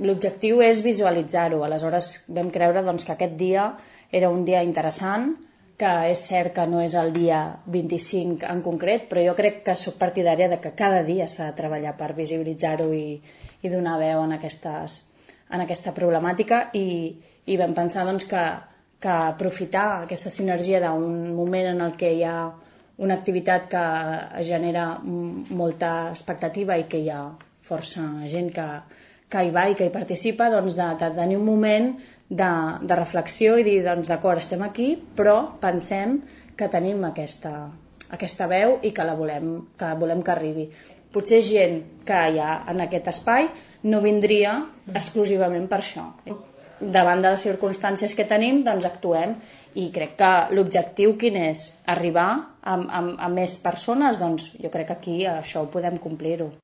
l'objectiu és visualitzar-ho. Aleshores vam creure que aquest dia era un dia interessant, que és cert que no és el dia 25 en concret, però jo crec que soc partidària de que cada dia s'ha de treballar per visibilitzar-ho i donar veu en aquesta problemàtica, i vam pensar que aprofitar aquesta sinergia d'un moment en el que hi ha una activitat que genera molta expectativa i que hi ha força gent que hi va i que hi participa, de tenir un moment de reflexió i dir, d'acord, estem aquí, però pensem que tenim aquesta veu i que volem que arribi. Potser gent que hi ha en aquest espai no vindria exclusivament per això. Davant de les circumstàncies que tenim, actuem, i crec que l'objectiu quin és? Arribar a més persones? Jo crec que aquí això ho podem complir-ho.